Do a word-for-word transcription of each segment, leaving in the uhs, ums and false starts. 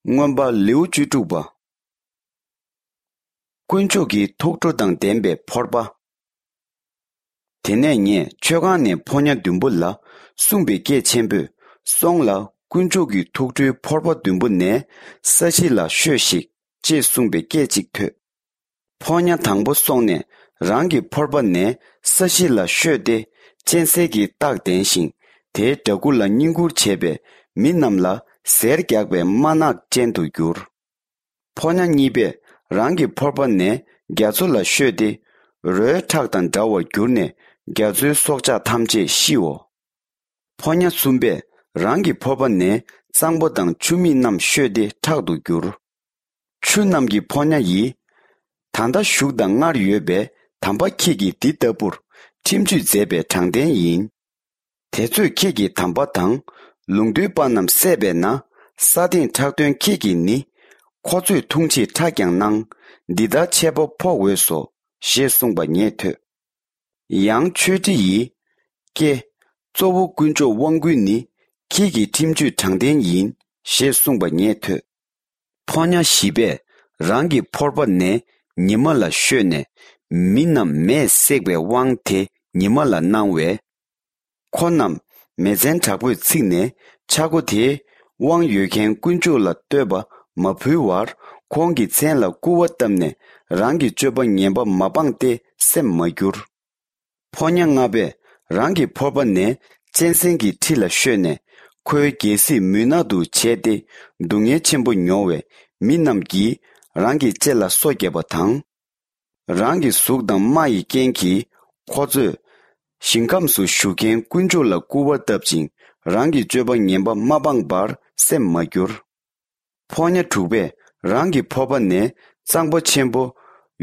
མངོན་པ་ལེའུ་བཅུ་དྲུག་པ། དཀོན་མཆོག་གི་ཐུགས་ཁྲོ་དང་ལྡན་པའི་ཕོར་པ། དེ་ནས་ངས་མཆོད་ཁང་ནས་ཕོ་ཉ་བདུན་པོ་ལ་གསུངས་པའི་སྐད་ཆེན་པོས། སོང་ལ། དཀོན་མཆོག་གི་ཐུགས་ཁྲོའི་ཕོར་པ་བདུན་པོ་ནས་ས་གཞི་ལ་ཤོད་ཤིག་ཅེས་གསུངས་པའི་སྐད་ཅིག་ཐོས། ཕོ་ཉ་དང་པོ་སོང་ནས་རང་གི་ཕོར་པ་ནས་ས་གཞི་ལ་ཤོད་དེ། གཅན་གཟན་གྱི་རྟགས་བསྟན་ཞིང་། དེའི་སྦྲ་གུར་ལ་བསྙེན་བཀུར་བྱས་པའི་མི་རྣམས་ལ་གཟེར་རྒྱག་པའི་དམར་ནག་ཅན་དུ་གྱུར། ཕོ་ཉ་གཉིས་པས་རང་གི་ཕོར་པ་ནས་རྒྱ་མཚོ་ལ་ཤོད་དེ། རོའི་ཁྲག་དང་འདྲ་བར་གྱུར་ནས་རྒྱ་མཚོའི་སྲོག་ཆགས་ཐམས་ཅད་ཤིའོ། ཕོ་ཉ་གསུམ་པས་རང་གི་ཕོར་པ་ནས་གཙང་པོ་དང་ཆུ་མིག་རྣམས་ཤོད་དེ་ཁྲག་ཏུ་གྱུར། ཆུ་རྣམས་ཀྱི་ཕོ་ཉ་ཡིས། ད་ལྟ་བཞུགས་དང་སྔར་ཡོད་པའི་དམ་པ་ཁྱེད་ཀྱིས་འདི་ལྟ་བུར་ཁྲིམས་གཅོད་མཛད་པའི་དྲང་བདེན་ཡིན། དེ་ཚོས་ཁྱེད་ཀྱི་དམ་པ་དང་ལུང་སྟོན་པ་རྣམས་བསད་པས་ན། ས་སྟེང་ཁྲག་འདོན་ཁྱེད་ཀྱིས་ནི། ཁོ་ཚོས་འཐུང་ཕྱིར་ཁྲག་ཀྱང་གནང་། འདི་ལྟར་ཆད་པ་ཕོག་འོས་སོ། ཞེས་གསུངས་པ་ངས་ཐོས། ཡང་ཆོས་ཁྲི་ཡིས། ཀྱེ། གཙོ་བོ་དཀོན་མཆོག་དབང་བསྐུར་ནི། ཁྱེད་ཀྱི་ཁྲིམས་གཅོད་དྲང་བདེན་ཡིན། ཞེས་གསུངས་པ་ངས་ཐོས། ཕོ་ཉ་བཞི་པས་རང་གི་ཕོར་པ་ནས་ཉི་མ་ལ་ཤོད་ནས། མི་རྣམས་མེས་བསྲེགས་པའི་དབང་དེ་ཉི་མ་ལ་གནང་བས། ཁོ་རྣམས་མེ་ཚན་དྲག་པོས་ཚིག་ནས། ཆག་སྒོ་དེའི་དབང་ཡོད་མཁན་དཀོན་མཆོག་ལ་བསྟོད་པ་མ་ཕུལ་བར། ཁོང་གི་མཚན་ལ་སྐུར་བ་བཏབ་ནས། རང་གི་སྤྱོད་པ་ངན་པ་མ་སྤངས་ཏེ་སེམས་མ་འགྱུར། ཕོ་ཉ་ལྔ་པས་རང་གི་ཕོར་པ་ནས་གཅན་གཟན་གྱི་ཁྲི་ལ་ཤོད་ནས། ཁོའི་རྒྱལ་སྲིད་མུན་ནག་ཏུ་བྱས་ཏེ། སྡུག་བསྔལ་ཆེན་པོ་མྱོང་བའི་མི་རྣམས་ཀྱིས་རང་གི་ལྕེ་ལ་སོ་བརྒྱབ་པ་དང་། རང་གི་གཟུགས་དང་རྨ་ཡི་རྐྱེན་གྱིས་ཁོ་ཚོས་ཞིང་ཁམས་སུ་བཞུགས་མཁན་དཀོན་མཆོག་ལ་སྐུར་བ་བཏབ་ཅིང་། རང་གི་སྤྱོད་པ་ངན་པ་མ་སྤངས་པར་སེམས་མ་འགྱུར། ཕོ་ཉ་དྲུག་པས་རང་གི་ཕོར་པ་ནས་གཙང་པོ་ཆེན་པོ་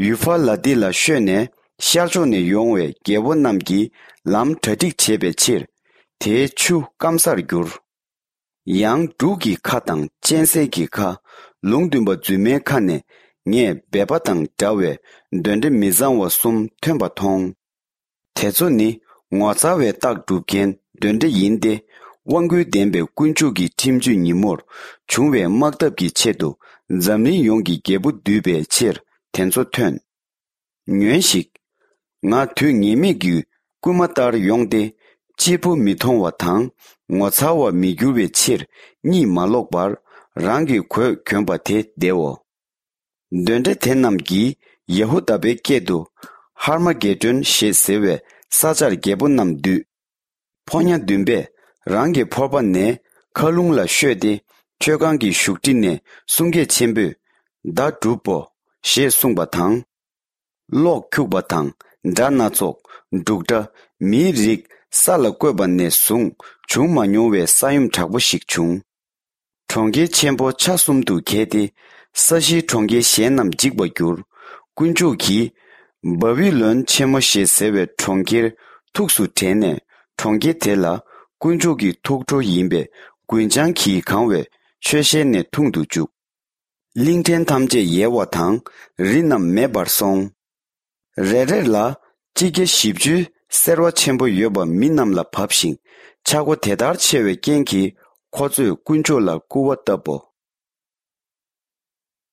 ཡུ་ཕ་ལ་ཏི་ལ་ཤོད་ནས། ཤར་ཕྱོགས་ནས་ཡོང་བའི་རྒྱལ་པོ་རྣམས་ཀྱིས་ལམ་གྲ་སྒྲིག་བྱེད་པའི་ཕྱིར། དེའི་ཆུ་སྐམ་སར་གྱུར། ཡང་འབྲུག་གི་ཁ་དང་གཅན་གཟན་གྱི་ཁ། ལུང་སྟོན་པ་རྫུན་མའི་ཁ་ནས། ངས་སྦལ་པ་དང་འདྲ་བའི་གདོན་འདྲེ་མི་གཙང་བ་གསུམ་ཐོན་པ་མཐོང་། དེ་ཚོ་ནི་ངོ་མཚར་བའི་རྟགས་སྒྲུབ་མཁན་གདོན་འདྲེ་ཡིན་ཏེ། དབང་བསྐུར་ལྡན་པའི་དཀོན་མཆོག་གི་ཁྲིམས་གཅོད་ཉིན་མོར་བྱུང་བའི་དམག་འཐབ་ཀྱི་ཆེད་དུ། འཛམ་གླིང་ཡོངས་ཀྱི་རྒྱལ་པོ་འདུས་པའི་ཕྱིར། དེ་ཚོ་ཐོན། ཉོན་ཞིག་ང་དུས་ངེས་མེད་ཀྱི་སྐུལ་མ་ལྟར་ཡོང་སྟེ། གཅེར་བུ་མི་མཐོང་བ་དང་། ངོ་མཚར་བར་མི་འགྱུར་བའི་ཕྱིར། གཉིད་མ་ལོག་པར་རང་གི་གོས་གྱོན་པ་དེ་བདེའོ། གདོན་འདྲེ་དེ་རྣམས་ཀྱིས་ཡ་ཧུ་དཱ་པའི་སྐད་དུ། ཧར་མ་གེ་ཏྲོན་ཞེས་ཟེར་བའི་ས་ཆར་རྒྱལ་པོ་རྣམས་འདུས། ཕོ་ཉ་བདུན་པས་རང་གི་ཕོར་པ་ནས་མཁའ་རླུང་ལ་ཤོད་དེ། མཆོད་ཁང་གི་བཞུགས་ཁྲི་ནས་གསུང་སྐད་ཆེན་པོས། བདག་གྲུབ་བོ། ཞེས་གསུངས་པ་དང་། གློག་འཁྱུག་པ་དང་། སྒྲ་སྣ་ཚོགས། འབྲུག་སྒྲ། མིའི་རིགས་ས་ལ་བཀོད་པ་ནས་བཟུང་བྱུང་མ་མྱོང་བའི་ས་ཡོམ་དྲག་པོ་ཞིག་བྱུང་། གྲོང་ཁྱེར་ཆེན་པོ་ཆ་གསུམ་དུ་གྱེས་ཏེ། ས་གཞིའི་གྲོང་ཁྱེར་གཞན་རྣམས་འཇིག་པར་གྱུར། དཀོན་མཆོག་གིས་བ་བི་ལོན་ཆེན་མོ་ཞེས་ཟེར་བའི་གྲོང་ཁྱེར་ཐུགས་སུ་དྲན་ནས། གྲོང་ཁྱེར་དེ་ལ་དཀོན་མཆོག་གི་ཐུགས་ཁྲོ་ཡིན་པས། རྒུན་ཆང་གིས་གང་བའི་མཆོད་ཤལ་ནས་འཐུང་དུ་བཅུག། གླིང་ཕྲན་ཐམས་ཅད་ཡལ་བ་དང་། རི་རྣམས་མེད་པར་སོང་། རེ་རེ་ལ་སྤྱི་རྒྱ་བཞི་བཅུའི་སེར་བ་ཆེན་པོ་ཡོད་པ་མི་རྣམས་ལ་བབས་ཤིང་། ཆག་སྒོ་དེ་ལྟར་ཆེ་བའི་རྐྱེན་གྱིས། ཁོ་ཚོས་དཀོན་མཆོག་ལ་སྐུར་བ་བཏབ་བོ།